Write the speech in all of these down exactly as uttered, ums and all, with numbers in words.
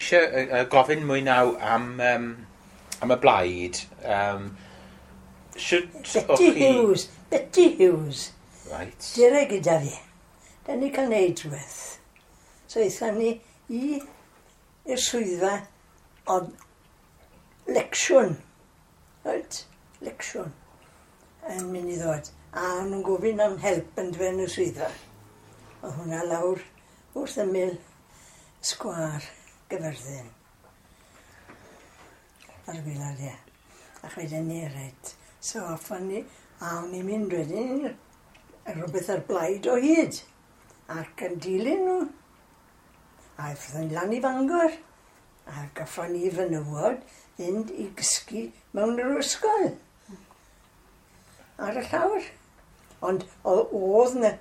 eisiau uh, gofyn mwy naw am, um, am y blaid. Um, Shwt Betty o'ch chi... Hughes, Betty Hughes. Right. Dere gyda fi. Da ni cael neud rhywbeth. So aethon ni i i'r swyddfa oedd lecsiwn. Right? Lecsiwn. Yn mynd i ddod. A o'n nhw'n gofyn am help yn dweud yn y swyddfa. Oedd hwnna lawr wrth ymyl sgwâr Gyfyrddin. Ar y gwaelod, ie. Ac wedyn ni, reit. So off ni, a o'n i'n mynd wedyn rhywbeth ar blaid o hyd. Ac yn dilyn nhw. A aethon ni lan i Fangor. A gaffon ni fenywod fynd i gysgu mewn yr ysgol. Ar y llawr. Ond o- oedd na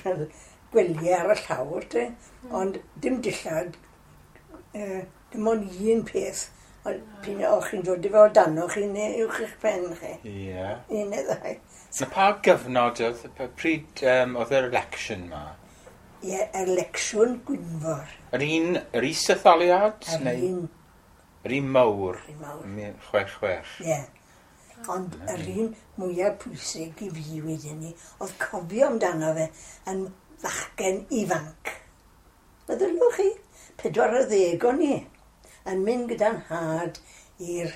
fel gwelyau ar y llawr, te, ond dim dillad, eh, dim ond un peth. Ond p'un o'ch chi'n dod i fel dano chi neu uwch eich pen chi. Ie. Un neu ddau. Na pa gyfnod oedd, pa- pryd um, oedd yr election ma? Ie, election Gwynfor. Yr un, yr is-etholiad? Yr neu un, Yr un mawr? yr un mawr. Mil Chwech chwech. Ie. Ond yr un mwyaf pwysig i fi wedyn ni, oedd cofio amdano fe yn fachgen ifanc. Meddylwch chi, pedwar ar ddeg o'n i, yn mynd gyda'n nhad i'r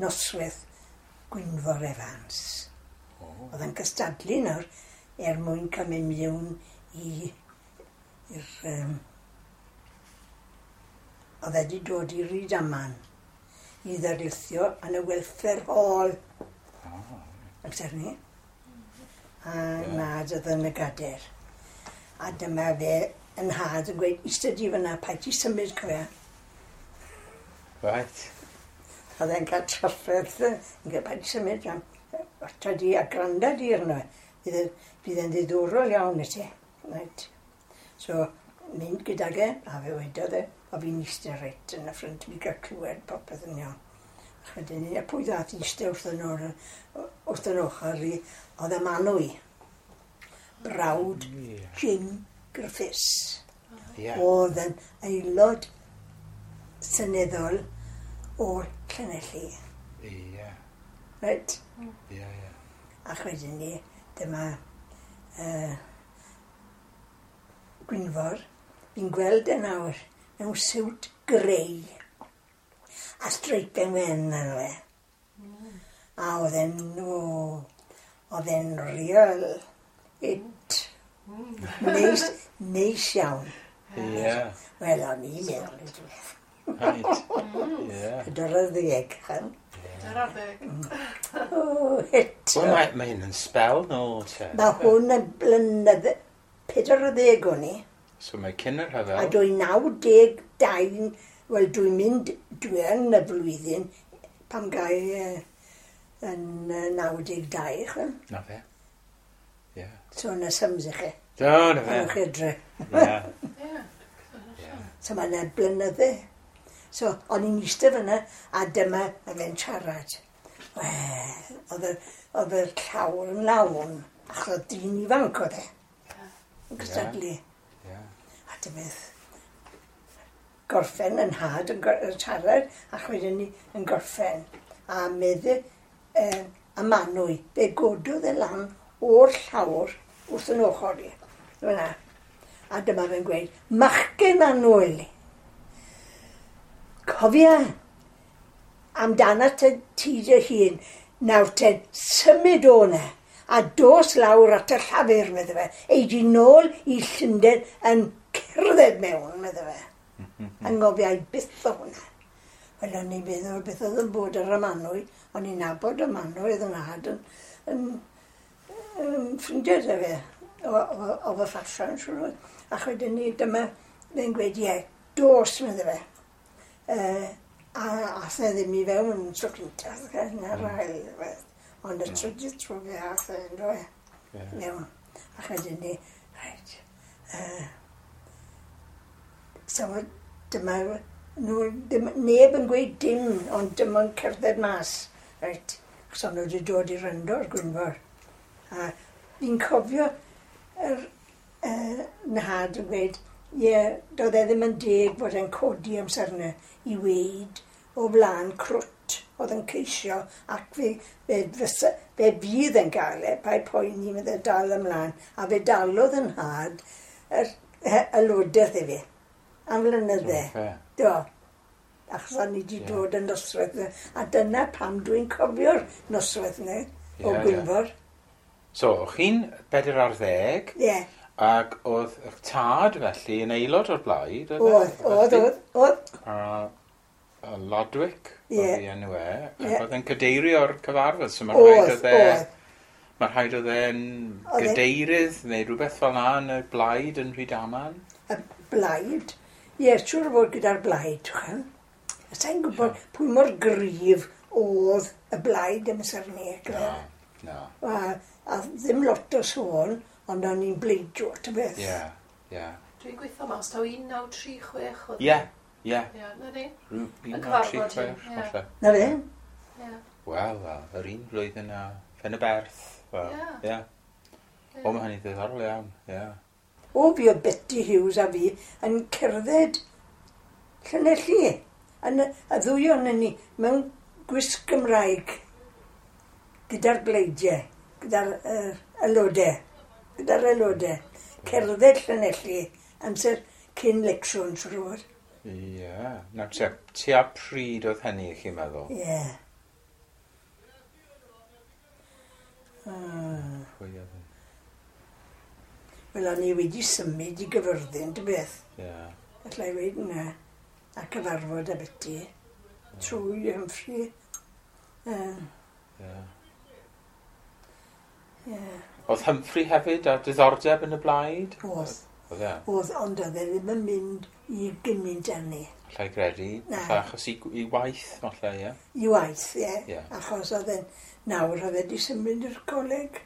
noswaith Gwynfor Evans. Oedd yn cystadlu nawr er mwyn cael mynd mewn i i'r... Um, oedd e wedi dod i Rydaman i ddarlithio yn y Welfare Hall. Amser ni. A Ie. nhad oedd yn y gader. A dyma fe yn nhad yn gweud, "Eistedd di fyna, paid ti symud, cofia." Right. Oedd e'n cael trafferth, yn gweud, "Paid ti symud, John. Wata di a granda di arno fe. Bydd e- bydd e'n ddiddorol iawn i ti." Right. So, mynd gydag e, a fe wedodd e, a fi'n eistedd reit yn y ffrynt, fi gael clywed popeth yn iawn. Ac wedyn ni, a pwy ddath i eistedd wrth yn o'r, wrth yn ochr i, oedd y Manwy, brawd Ie. Jim Griffiths. Ie. Oedd yn aelod seneddol o'r Llanelli. Ie. Right? Ie, ie. Ac wedyn ni, dyma uh, Gwynfor, fi'n gweld e nawr mewn siwt grey a streipen wen arno fe. A oedd e'n, o, oedd e'n real it. Neis, neis iawn. Ie. Wel, o'n i'n meddwl i dweud. Right. Ie. Pedwar ar ddeg, chan. Pedwar ar ddeg. O, hit. Wel, mae, mae hyn yn sbel nôl te. Mae hwn yn blynydde, pedwar ar ddeg o'n i. So mae cyn yr A rhyfel. dwy naw deg dau, wel dwi'n mynd, dwi yn y flwyddyn pam gai uh, yn uh, naw deg dau, chwel. Na fe. Ie. So yna sums i chi. Do, na fe. Ewch edrych. Ie. Ie. Ie. So mae yna blynydde. So, o'n i'n eistedd fyna, a dyma y fe'n siarad. Wel, oedd y, oedd y llawr yn lawn, achos oedd dyn ifanc oedd e. Yn cystadlu. Ie. A dyma beth, gorffen yn nhad yn, gor- yn siarad, ac wedyn ni yn gorffen. A medde eh, y Manwy, fe gododd e lan o'r llawr wrth yn ochr i. Fyna. A dyma fe'n gweud, "Machgen annwyl, cofia amdana te ti dy hun, nawr te symud o 'na, a dos lawr at y Llafur," medde fe. "Ei di nôl i Llundain yn cerdded mewn," medde fe. Anghofiai byth o hwnna. Wel, o'n i'n meddwl beth oedd yn bod ar y Manwy. O'n i'n nabod y Manwy, oedd yn nhad yn, yn, yn ffrindiau 'da fe, o, o, o fy ffasiwn, siŵr o fod. Ac wedyn ni, dyma fe'n gweud, "Ie, dos," medde fe. Uh, a ath e ddim i fewn yn tro cyntaf, na'r ail. Beth. Ond y trydydd tro fe ath e, ynddo fe, Ie. mewn. Ac wedyn ni, reit, uh, so dyma nhw, ddim, neb yn gweud dim, ond dim ond cerdded mas. Reit, achos o'n nhw wedi dod i wrando ar Gwynfor. A fi'n cofio yr uh, nhad yn gweud, Ie, doedd e ddim yn deg fod e'n codi amser yna i weud o flaen crwt oedd yn ceisio ac fe, fe, fysa, fe fydd yn gael e, paid poeni, fe dal ymlaen. A fe dalodd yn nhad yr aelodaeth i fi am flynydde. Do. Achos o'n i wedi yeah. dod yn noswaith yna. A dyna pam dwi'n cofio'r noswaith yna o yeah, Gwynfor. Yeah. So, o'ch chi'n bedair ar ddeg? Ie. Yeah. Ac oedd eich tad felly yn aelod o'r blaid? Oedd, oedd, oedd, oedd. A, a Lodwick yeah. oedd ei enw e. Ac yeah. oedd e'n cadeirio'r cyfarfod. So mae rhaid oedd e... Mae rhaid oedd e'n gadeirydd neu rhywbeth fel 'na yn y blaid yn Rhydaman? Y blaid? Ie, yeah, siŵr o fod gyda'r blaid. Sa i'n gwybod yeah. pwy mor gryf oedd y blaid amser 'ny. No, no. A, a ddim lot o sôn, ond o'n i'n bleidio, ta beth. Ie, ie. Dwi'n gweithio mas, taw un naw tri chwech oedd. Ie, ie. Ie, na ni. un naw tri chwech, falle. Na fe? Ie. Wel, wel, yr un flwyddyn a Phen y Berth. Wel, ie. O, mae hynny'n ddiddorol iawn, ie. O, fi oedd Betty Hughes a fi yn cerdded Llanelli. Yn y, y ddwy o'n ni mewn gwisg Gymraeg gyda'r bleidiau, gyda'r uh, aelodau, gyda'r aelodau. Cerdded Llanelli amser cyn lecsiwn, siŵr o fod. Ie. Nawr, tua, tua pryd oedd hynny, chi'n meddwl? Ie. Yeah. Ah. Pwy oedd yn? Wel, o'n i wedi symud i Gyfyrddin, dy beth. Ie. Alla i weud yna. A cyfarfod â Betty. Trwy Humphrey. Ie. Ie. Oedd Humphrey hefyd â diddordeb yn y blaid? Oedd. Oedd e? Oedd, ond oedd e ddim yn mynd i gymaint â ni. Alla i gredu. Na. Falle achos i, i waith, falle, ie? I waith, ie. Ie. Achos oedd e'n, nawr oedd e wedi symud i'r coleg.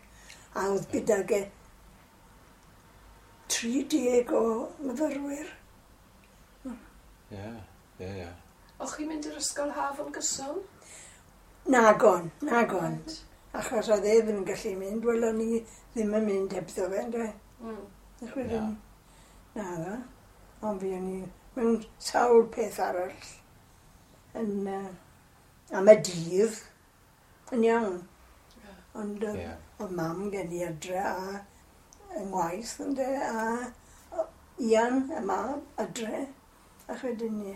A oedd gydag e tri deg o myfyrwyr. Ie, ie, ie. O'ch chi'n mynd i'r ysgol haf yn gyson? Nagon, nagon. Achos oedd e ddim yn gallu mynd, wel o'n i ddim yn mynd hebddo fe, ynde? Mm. Na. Na ddo. Ond fi o'n i mewn sawl peth arall yn, uh, am y dydd yn iawn. Ond oedd Ie. oedd mam gen i adre a yng ngwaith ynde, a Ian, y mab, adre. Ac wedyn ni,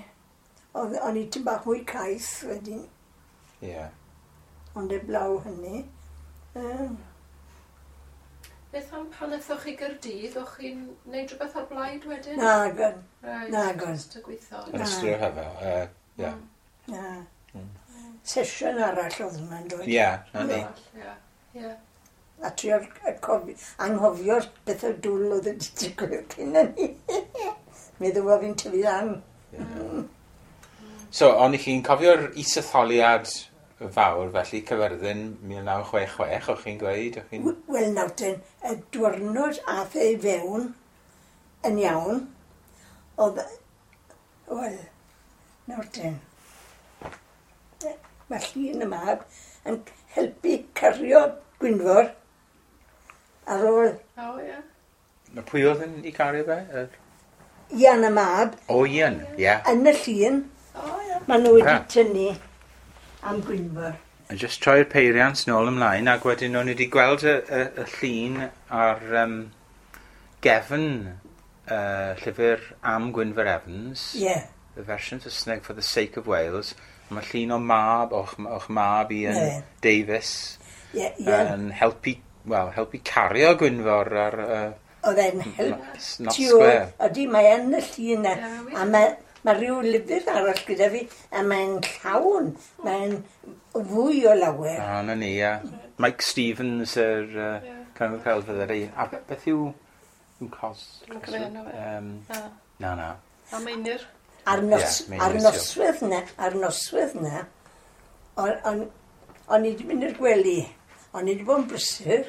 oedd o'n i tipyn bach mwy caeth wedyn, Ie. ond eblaw hynny. Um, Beth am pan aethoch chi Gaerdydd, o'ch chi'n neud rhywbeth ar blaid wedyn? Nagon, Right, nagon. Just y gweithio. Yn ystod y rhyfel, yy, ie. Na. Mm. Sesiwn arall oedd hwnna'n dod. Ie, na ni. Ie, ie. A trio cofi, anghofio'r bethau dwl oedd wedi digwydd cyn hynny. Meddwl bod fi'n tyfu lan. So, ond i chi'n cofio'r isetholiad fawr, felly Cyfyrddin mil naw chwech chwech, o'ch chi'n gweud? O'ch chi'n... Wel, nawr ten, y diwrnod ath e i fewn yn iawn, oedd, wel, nawr ten, mae llun y mab yn helpu cario Gwynfor ar ôl O, ie. Na pwy oedd yn ei cario fe? Yr- Ian y mab O, Ian, ie. yn y llun, O, ie. maen nhw wedi Ah. tynnu am Gwynfor. A just troi'r peiriant nôl ymlaen, ac wedyn o'n i wedi gweld y, y, y llun ar um, gefn uh, llyfr am Gwynfor Evans. Ie, yeah. The version Saesneg for the sake of Wales. Mae llun o mab, o'ch, o'ch mab Ian Ie. Davies, ie, Ian. yn helpu, wel, helpu cario Gwynfor ar uh, Oedd e'n help Not tu ôl. Square. Ydy, mae yn y llun na. Ie, wir. A mae, mae rhyw lyfr arall gyda fi, a mae'n llawn. Mae'n fwy o lawer. A, na ni, ie. Mike Stevens, yr uh, Ie. Cyngor Celfyddydau. A be- beth yw... yw cos? Dwi'm yn cofio enw fe. Um, Na. na, na. A Meinir. A'r, nos, Ie, Meinir ar Sil. noswaith na, a'r noswaith na, o'n, o'n, o'n i wedi mynd i'r gwely. O'n i wedi bod yn brysur,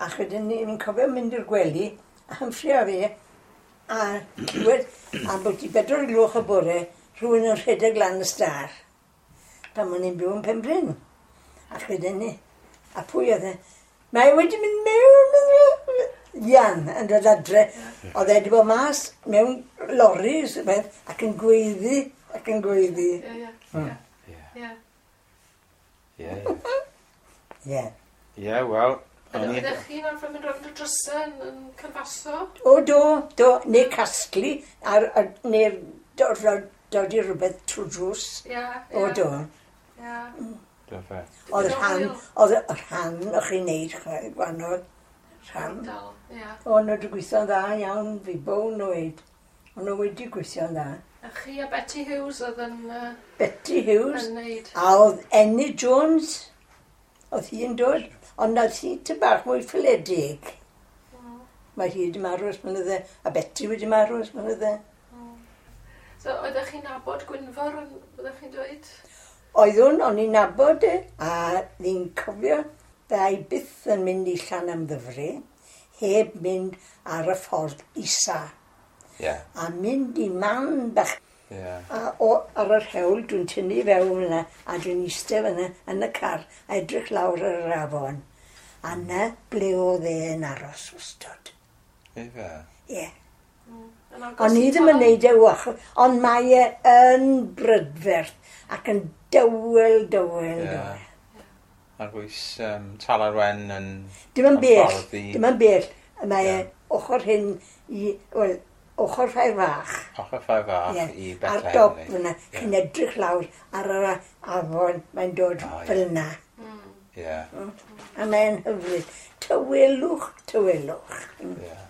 ac wedyn ni'n cofio mynd i'r gwely, a Humphrey a fi, a clywed, a bod i bedwar o'r gloch y bore, rhywun yn rhedeg lan y star, pan o'n i'n byw yn Penbryn. Ac wedyn ni, a pwy oedd e? Mae wedi mynd mewn, Ian yn dod adre. Oedd e wedi bod mas mewn loris beth, ac yn gweiddi, ac yn gweiddi. Ie, ie. Ie. Ie, ie. Ie, wel... Oeddech chi'n arfer mynd rownd y drysau yn, yn canfaso? O, do, do. Neu casglu, ar, ar, neu dod, dod i rhywbeth trwy drws. Ie, ie. O, do. Ie. Do fe. Oedd rhan, oedd y rhan o'ch chi'n neud, gwahanol rhan. Ardal, ie. O, nhw wedi gweithio'n dda iawn, fi bown nhw weid. O'n nhw wedi gweithio'n dda. A chi a Betty Hughes oedd yn... Uh, Betty Hughes. Yn neud. A oedd Enid Jones, oedd hi'n dod. Ond oedd hi tyn bach mwy ffiledig. Mm. Mae hi wedi marw ers blynydde, a Betty wedi marw ers blynydde. Mm. So, oeddech chi'n nabod Gwynfor, oeddech chi'n dweud? Oeddwn, o'n i'n nabod e, a ni'n cofio ddau byth yn mynd i Llanymddyfri, heb mynd ar y ffordd isa. Yeah. A mynd i man bach. Yeah. A o, ar yr hewl, dwi'n tynnu fewn yna, a dwi'n eistedd fyna yn y car, a edrych lawr ar yr afon. A na ble oedd e yn aros wastod. Ife? Ie. Mm. O'n i ddim yn neud e wach, ond mae e yn brydferth ac yn dywel, dywel, yeah. dywel. Ar bwys um, Talarwen yn... Dim yn bell, dim yn bell. Mae yeah. e ochr hyn i... Wel, ochr Ffair Fach. Ochr Ffair Fach yeah. i Bethlehem. Ar dop fyna, yeah. Chi'n edrych lawr ar yr afon, mae'n dod oh, fel yna. Mm. Yeah. Mm. A mae'n hyfryd. Tywelwch, tywelwch. Mm. Yeah.